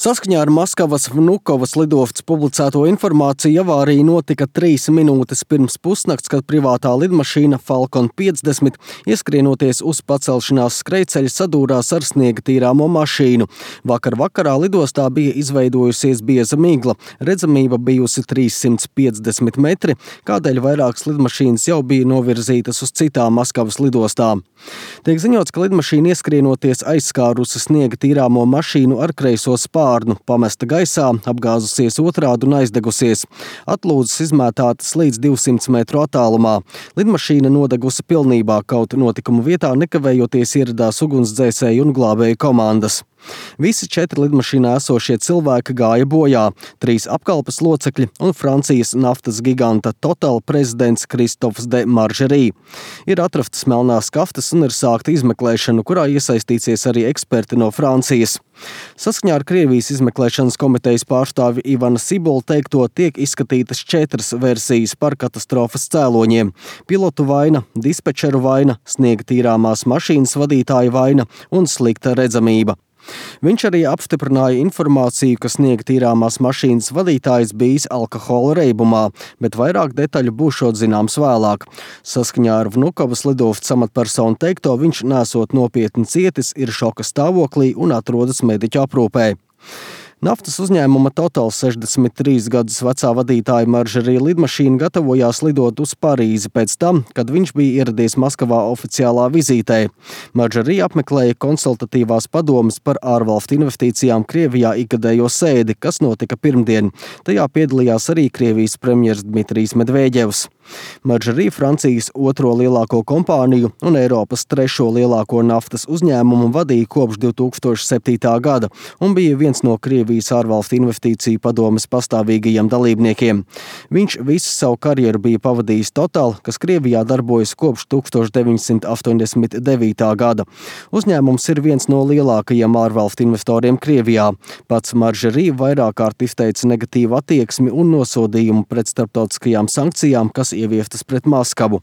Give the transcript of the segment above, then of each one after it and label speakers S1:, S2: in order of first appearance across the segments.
S1: Saskaņā ar Maskavas Vnukovas lidostas publicēto informāciju, avārija notika 3 minūtes pirms pusnakts, kad privātā lidmašīna Falcon 50 ieskrienoties uz pacelšanās skrejceļa sadūrās ar sniega tīrāmo mašīnu. Vakarā lidostā bija izveidojusies bieza migla, redzamība bijusi 350 metri, kādēļ vairākas lidmašīnas jau bija novirzītas uz citām Maskavas lidostām. Tiek ziņots, ka lidmašīna ieskrienoties aizskārusi sniega tīrāmo mašīnu ar kreiso spārnu, pamesta gaisā, apgāzusies otrādi un aizdegusies. Atlūzas izmētātas līdz 200 metru attālumā. Lidmašīna nodegusi pilnībā, kaut notikuma vietā nekavējoties ieradās ugunsdzēsēju un glābēju komandas. Visi 4 lidmašīnā esošie cilvēki gāja bojā, 3 apkalpes locekļi un Francijas naftas giganta Total prezidents Kristofs de Margerie. Ir atrastas melnās kaftas un ir sākta izmeklēšana, kurā iesaistīsies arī eksperti no Francijas. Saskaņā ar Krievijas izmeklēšanas komitejas pārstāvi Ivana Sibola teikto, tiek izskatītas 4 versijas par katastrofas cēloņiem – pilotu vaina, dispečeru vaina, sniega tīrāmās mašīnas vadītāja vaina un slikta redzamība. Viņš arī apstiprināja informāciju, ka sniega tīrāmās mašīnas vadītājs bijis alkohola reibumā, bet vairāk detaļu būšot zināms vēlāk. Saskaņā ar Vnukovas lidostas amatpersonu teikto, viņš nesot nopietni cietis, ir šoka stāvoklī un atrodas mediķu aprūpē. Naftas uzņēmuma Total 63 gadus vecā vadītāja Margerie lidmašīna gatavojās lidot uz Parīzi pēc tam, kad viņš bija ieradies Maskavā oficiālā vizītē. Margerie apmeklēja konsultatīvās padomes par ārvalstu investīcijām Krievijā ikgadējo sēdi, kas notika pirmdien. Tajā piedalījās arī Krievijas premjers Dmitrijs Medvedevs. Margerie Francijas 2. lielāko kompāniju un Eiropas 3. lielāko naftas uzņēmumu vadīja kopš 2007. gada un bija viens no Krievijas ārvalstu investīciju padomes pastāvīgajiem dalībniekiem. Viņš visu savu karjeru bija pavadījis Total, kas Krievijā darbojas kopš 1989. gada. Uzņēmums ir viens no lielākajiem ārvalstu investoriem Krievijā. Pats Margerie vairāk kārt izteica negatīvu attieksmi un nosodījumu pret starptautiskajām sankcijām, kas ieviestas pret Maskavu.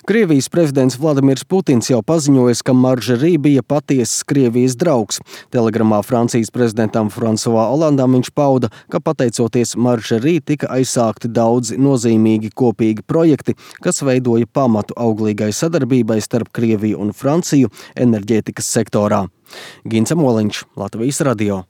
S1: Krievijas prezidents Vladimirs Putins jau paziņojis, ka Margerie bija patiesas Krievijas draugs. Telegramā Francijas prezidentam François Hollandam viņš pauda, ka pateicoties Margerie tika aizsākti daudzi nozīmīgi kopīgi projekti, kas veidoja pamatu auglīgai sadarbībai starp Krieviju un Franciju enerģētikas sektorā. Gints Amoliņš, Latvijas radio.